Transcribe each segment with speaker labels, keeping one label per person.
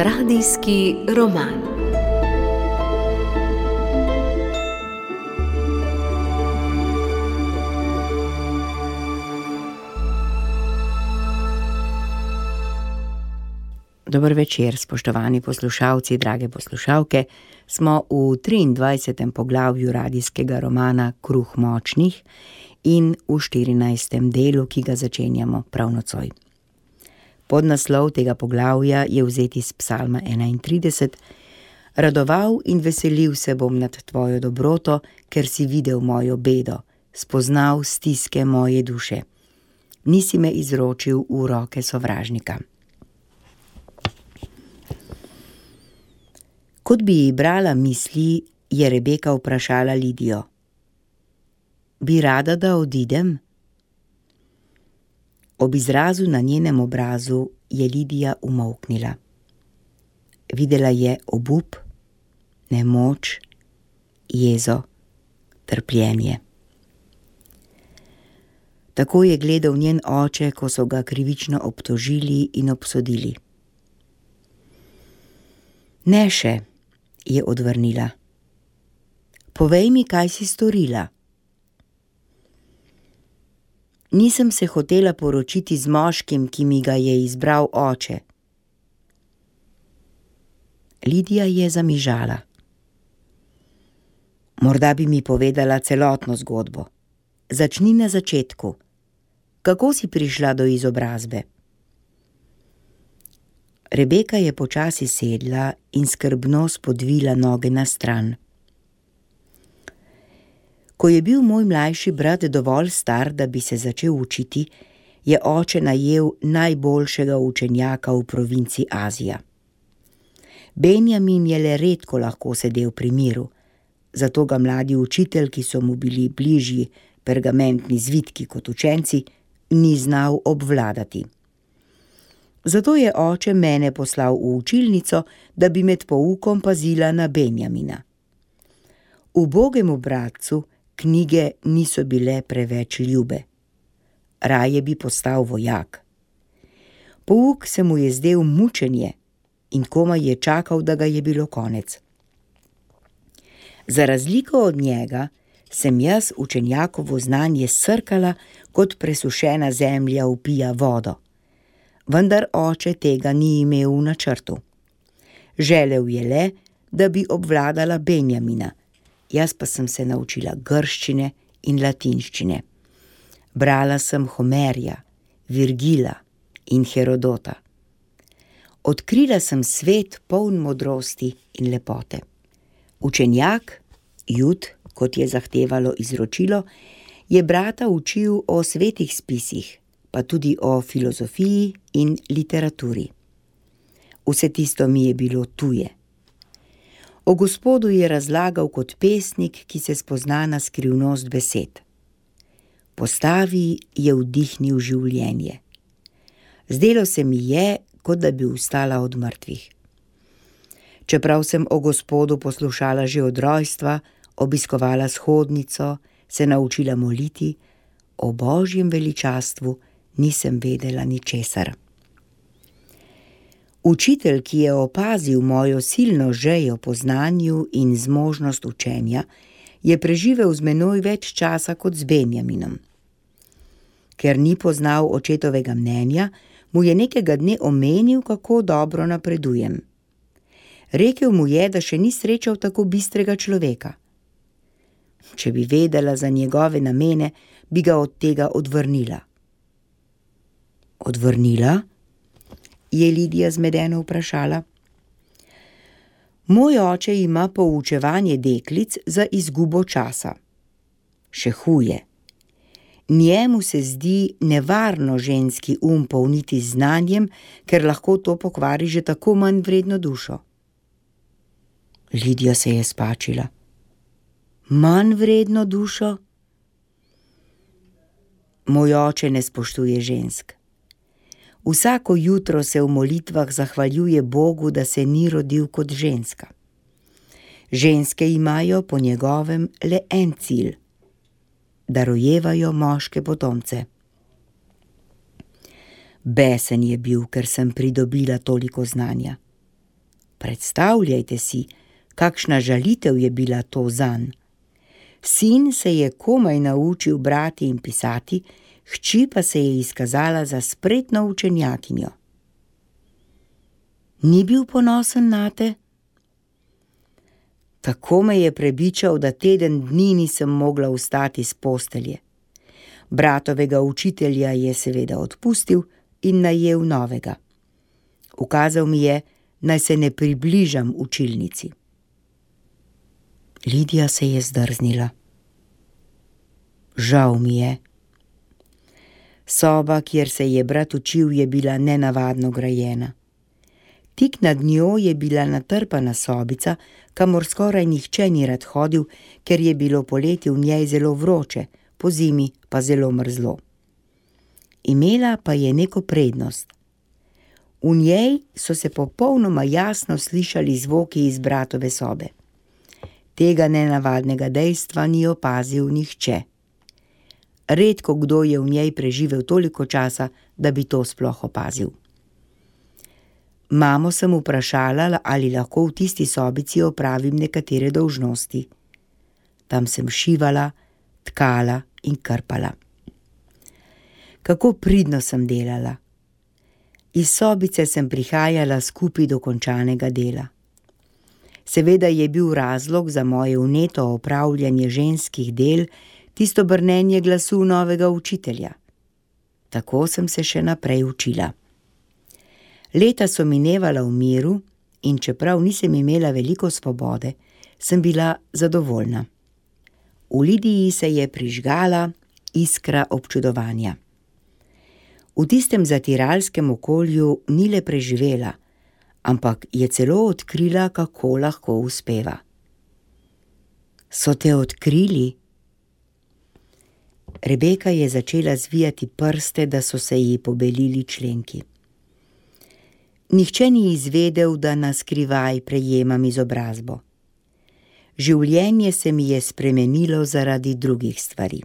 Speaker 1: Radijski roman.
Speaker 2: Dober večer, spoštovani poslušalci, drage poslušalke. Smo v 23. poglavju radijskega romana Kruh močnih in v 14. delu, ki ga začenjamo prav nocoj. Podnaslov tega poglavja je vzet iz Psalma 31. Radoval in veselil se bom nad tvojo dobroto, ker si videl mojo bedo, spoznal stiske moje duše. Nisi me izročil v roke sovražnika. Kot bi ji brala misli, je Rebeka vprašala Lidijo: Bi rada, da odidem? Ob izrazu na njenem obrazu je Lidija umolknila. Videla je obup, nemoč, jezo, trpljenje. Tako je gledal njen oče, ko so ga krivično obtožili in obsodili. Ne še, je odvrnila. Povej mi, kaj si storila. Nisem se hotela poročiti z moškim, ki mi ga je izbral oče. Lidija je zamižala. Morda bi mi povedala celotno zgodbo. Začni na začetku. Kako si prišla do izobrazbe? Rebeka je počasi sedla in skrbno spodvila noge na stran. Ko je bil moj mlajši brat dovolj star, da bi se začel učiti, je oče najel najboljšega učenjaka v provinci Azija. Benjamin je le redko lahko sedel pri miru, zato ga mladi učitelj, ki so mu bili bližji pergamentni zvitki kot učenci, ni znal obvladati. Zato je oče mene poslal v učilnico, da bi med poukom pazila na Benjamina. Ubogemu bratcu knjige niso bile preveč ljube. Raje bi postal vojak. Pouk se mu je zdel mučenje in komaj je čakal, da ga je bilo konec. Za razliko od njega sem jaz učenjakovo znanje srkala, kot presušena zemlja vpija vodo. Vendar oče tega ni imel v načrtu. Želel je le, da bi obvladala Benjamina, jaz pa sem se naučila grščine in latinščine. Brala sem Homerja, Virgila in Herodota. Odkrila sem svet poln modrosti in lepote. Učenjak, Jud, kot je zahtevalo izročilo, je brata učil o svetih spisih, pa tudi o filozofiji in literaturi. Vse tisto mi je bilo tuje. O Gospodu je razlagal kot pesnik, ki se spozna na skrivnost besed. Postavi je vdihnil življenje. Zdelo se mi je, kot da bi vstala od mrtvih. Čeprav sem o Gospodu poslušala že od rojstva, obiskovala shodnico, se naučila moliti, o Božjem veličastvu nisem vedela ničesar. Učitelj, ki je opazil mojo silno žejo po znanju in zmožnost učenja, je preživel z menoj več časa kot z Benjaminom. Ker ni poznal očetovega mnenja, mu je nekega dne omenil, kako dobro napredujem. Rekel mu je, da še ni srečal tako bistrega človeka. Če bi vedela za njegove namene, bi ga od tega odvrnila. Odvrnila? Je Lidija zmedeno vprašala. Moj oče ima poučevanje deklic za izgubo časa. Še huje. Njemu se zdi nevarno ženski polniti z znanjem, ker lahko to pokvari že tako manj vredno dušo. Lidija se je spačila. Manj vredno dušo? Moj oče ne spoštuje žensk. Vsako jutro se v molitvah zahvaljuje Bogu, da se ni rodil kot ženska. Ženske imajo po njegovem le en cilj, da rojevajo moške potomce. Besen je bil, ker sem pridobila toliko znanja. Predstavljajte si, kakšna žalitev je bila to zanj. Sin se je komaj naučil brati in pisati, hči pa se je izkazala za spretno učenjakinjo. Ni bil ponosen nate? Tako me je prebičal, da teden dni nisem mogla vstati s postelje. Bratovega učitelja je seveda odpustil in najel novega. Ukazal mi je, naj se ne približam učilnici. Lidija se je zdrznila. Žal mi je. Soba, kjer se je brat učil, je bila nenavadno grajena. Tik nad njo je bila natrpana sobica, kamor skoraj nihče ni rad hodil, ker je bilo poleti v njej zelo vroče, pozimi pa zelo mrzlo. Imela pa je neko prednost. V njej so se popolnoma jasno slišali zvoki iz bratove sobe. Tega nenavadnega dejstva ni opazil nihče. Redko kdo je v njej preživel toliko časa, da bi to sploh opazil. Mamo sem vprašala, ali lahko v tisti sobici opravim nekatere dolžnosti. Tam sem šivala, tkala in krpala. Kako pridno sem delala. Iz sobice sem prihajala skupaj do končanega dela. Seveda je bil razlog za moje vneto opravljanje ženskih del tisto brnenje glasu novega učitelja. Tako sem se še naprej učila. Leta so minevala v miru in čeprav nisem imela veliko svobode, sem bila zadovoljna. V Lidiji se je prižgala iskra občudovanja. V tistem zatiralskem okolju ni le preživela, ampak je celo odkrila, kako lahko uspeva. So te odkrili? Rebeka je začela zvijati prste, da so se ji pobelili členki. Nihče ni izvedel, da na skrivaj prejemam izobrazbo. Življenje se mi je spremenilo zaradi drugih stvari.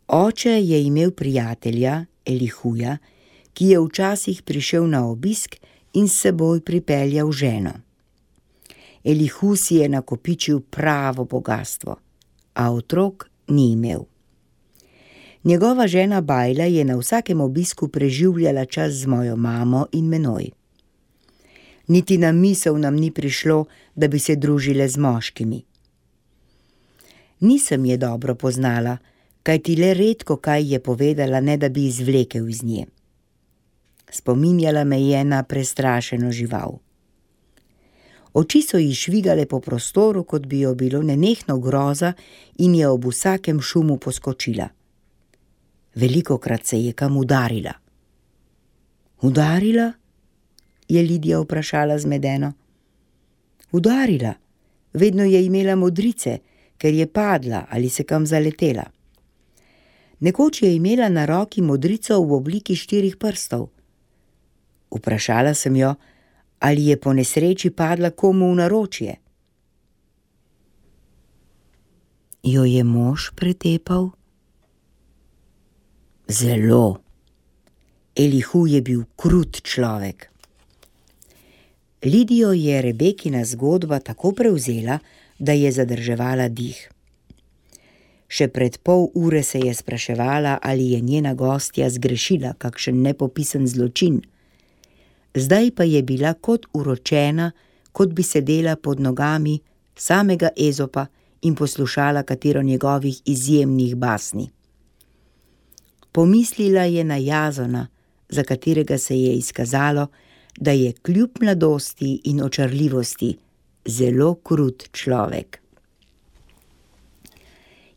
Speaker 2: Oče je imel prijatelja, Elihuja, ki je včasih prišel na obisk in s seboj pripeljal ženo. Elihu si je nakopičil pravo bogastvo, a otrok ni imel. Njegova žena Bajla je na vsakem obisku preživljala čas z mojo mamo in menoj. Niti na misel nam ni prišlo, da bi se družile z moškimi. Nisem je dobro poznala, kajti le redko kaj je povedala, ne da bi izvlekel iz nje. Spominjala me je na prestrašeno žival. Oči so ji švigale po prostoru, kot bi jo bilo nenehno groza in je ob vsakem šumu poskočila. Velikokrat se je kam udarila. Udarila? Je Lidija vprašala zmedeno. Udarila. Vedno je imela modrice, ker je padla ali se kam zaletela. Nekoč je imela na roki modrico v obliki 4 prstov. Vprašala sem jo, ali je po nesreči padla komu v naročje. Jo je mož pretepal? Zelo. Elihu je bil krut človek. Lidijo je Rebekina zgodba tako prevzela, da je zadrževala dih. Še pred pol ure se je spraševala, ali je njena gostja zgrešila kakšen nepopisen zločin. Zdaj pa je bila kot uročena, kot bi sedela pod nogami samega Ezopa in poslušala katero njegovih izjemnih basni. Pomislila je na Jazona, za katerega se je izkazalo, da je kljub mladosti in očarljivosti zelo krut človek.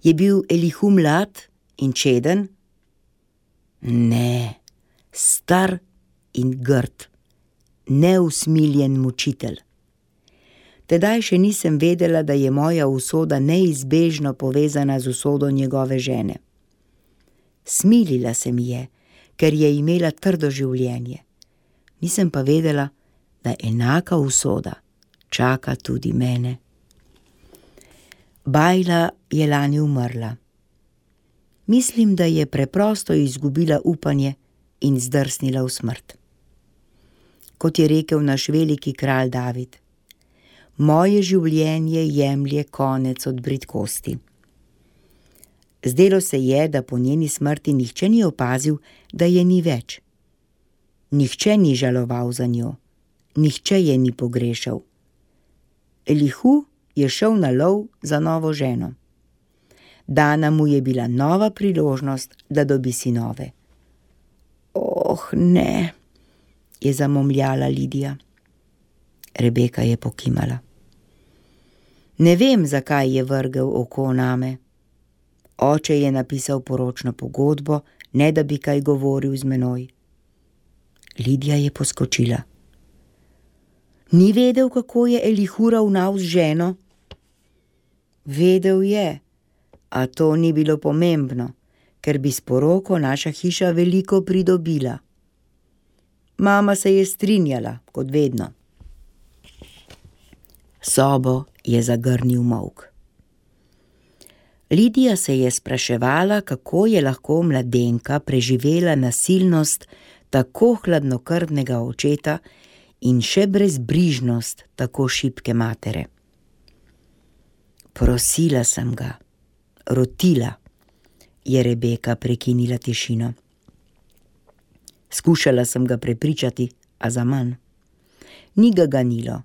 Speaker 2: Je bil Elihu mlad in čeden? Ne, star in grd, neusmiljen mučitelj. Tedaj še nisem vedela, da je moja usoda neizbežno povezana z usodo njegove žene. Smilila se mi je, ker je imela trdo življenje. Nisem pa vedela, da enaka usoda čaka tudi mene. Bajla je lani umrla. Mislim, da je preprosto izgubila upanje in zdrsnila v smrt. kot je rekel naš veliki kralj David. Moje življenje jemlje konec od bridkosti. Zdelo se je, da po njeni smrti nihče ni opazil, da je ni več. Nihče ni žaloval za njo, nihče je ni pogrešal. Elihu je šel na lov za novo ženo. Dana mu je bila nova priložnost, da dobi sinove. Oh, ne, je zamomljala Lidija. Rebeka je pokimala. Ne vem, zakaj je vrgel oko name. Oče je napisal poročno pogodbo, ne da bi kaj govoril z menoj. Lidija je poskočila. Ni vedel, kako je Elihu ravnal z ženo? Vedel je, a to ni bilo pomembno, ker bi s poroko naša hiša veliko pridobila. Mama se je strinjala, kot vedno. Sobo je zagrnil molk. Lidija se je spraševala, kako je lahko mladenka preživela nasilnost tako hladnokrvnega očeta in še brezbrižnost tako šibke matere. Prosila sem ga, rotila, je Rebeka prekinila tišino. Skušala sem ga prepričati, a zaman. Ni ga ganilo.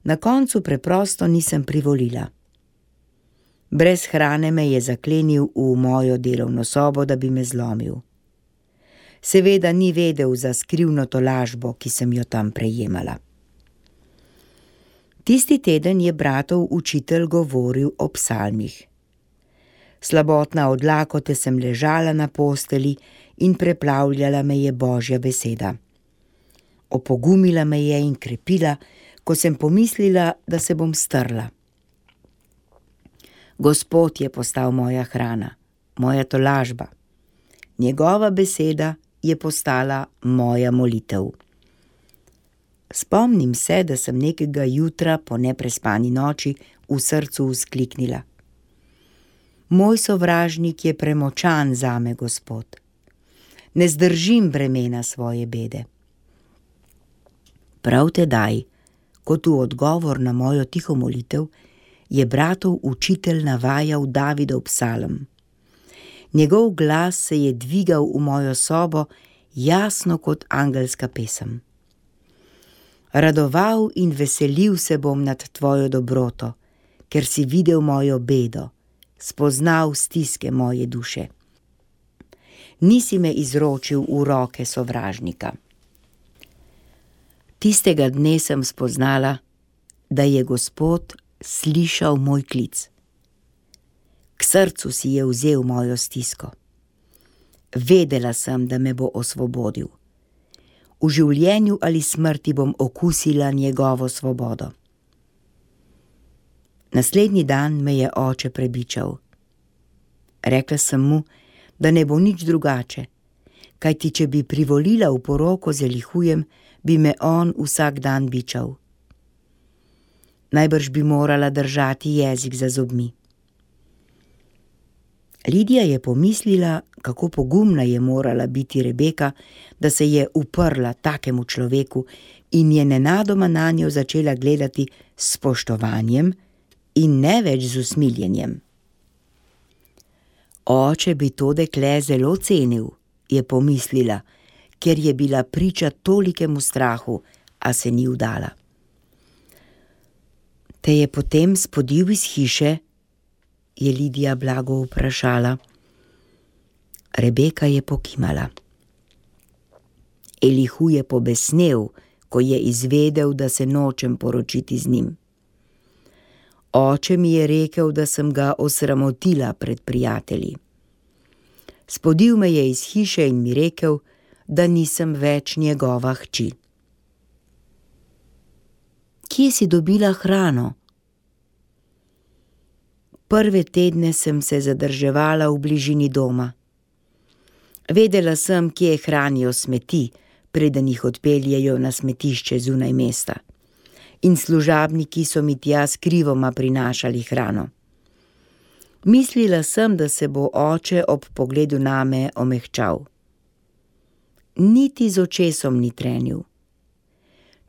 Speaker 2: Na koncu preprosto nisem privolila. Brez hrane me je zaklenil v mojo delovno sobo, da bi me zlomil. Seveda ni vedel za skrivno tolažbo, ki sem jo tam prejemala. Tisti teden je bratov učitelj govoril o psalmih. Slabotna od lakote sem ležala na posteli in preplavljala me je Božja beseda. Opogumila me je in krepila, ko sem pomislila, da se bom strla. Gospod je postal moja hrana, moja tolažba. Njegova beseda je postala moja molitev. Spomnim se, da sem nekega jutra po neprespani noči v srcu vzkliknila. Moj sovražnik je premočan zame, Gospod. Ne zdržim bremena svoje bede. Prav tedaj, kot v odgovor na mojo tiho molitev, je bratov učitelj navajal Davidov psalm. Njegov glas se je dvigal v mojo sobo jasno kot angelska pesem. Radoval in veselil se bom nad tvojo dobroto, ker si videl mojo bedo, spoznal stiske moje duše. Nisi me izročil v roke sovražnika. Tistega dne sem spoznala, da je Gospod slišal moj klic. K srcu si je vzel mojo stisko. Vedela sem, da me bo osvobodil. V življenju ali smrti bom okusila njegovo svobodo. Naslednji dan me je oče prebičal. Rekla sem mu, da ne bo nič drugače, kajti če bi privolila v poroko z Elihujem, bi me on vsak dan bičal. Najbrž bi morala držati jezik za zobmi. Lidija je pomislila, kako pogumna je morala biti Rebeka, da se je uprla takemu človeku in je nenadoma nanjo začela gledati s spoštovanjem in ne več z usmiljenjem. Oče bi to dekle zelo cenil, je pomislila, ker je bila priča tolikemu strahu, a se ni vdala. Te je potem spodil iz hiše, je Lidija blago vprašala. Rebeka je pokimala. Elihu je pobesnel, ko je izvedel, da se nočem poročiti z njim. Oče mi je rekel, da sem ga osramotila pred prijatelji. Spodil me je iz hiše in mi rekel, da nisem več njegova hči. Kje si dobila hrano? Prve tedne sem se zadrževala v bližini doma. Vedela sem, kje hranijo smeti, preden jih odpeljejo na smetišče zunaj mesta. In služabniki so mi tja skrivoma prinašali hrano. Mislila sem, da se bo oče ob pogledu name omehčal. Niti z očesom ni trenil.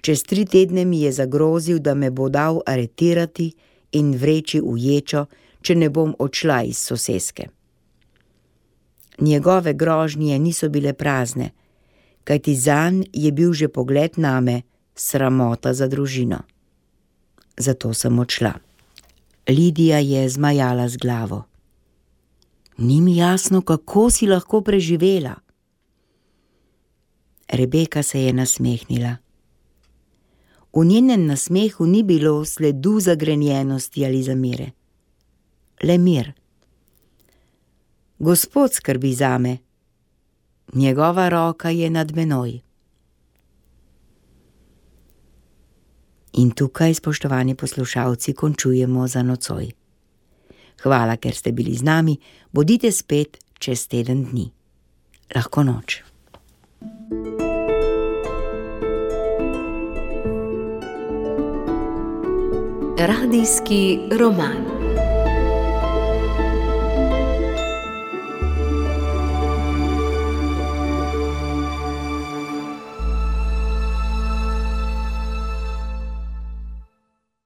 Speaker 2: Čez 3 tedne mi je zagrozil, da me bo dal aretirati in vreči v ječo, če ne bom odšla iz soseske. Njegove grožnje niso bile prazne, kajti zanj je bil že pogled name sramota za družino. Zato sem odšla. Lidija je zmajala z glavo. Ni mi jasno, kako si lahko preživela. Rebeka se je nasmehnila. V njenem nasmehu ni bilo sledu zagrenjenosti ali zamere. Le mir. Gospod skrbi zame. Njegova roka je nad menoj. In tukaj, spoštovani poslušalci, končujemo za nocoj. Hvala, ker ste bili z nami. Bodite spet čez teden dni. Lahko noč.
Speaker 1: Radijski roman.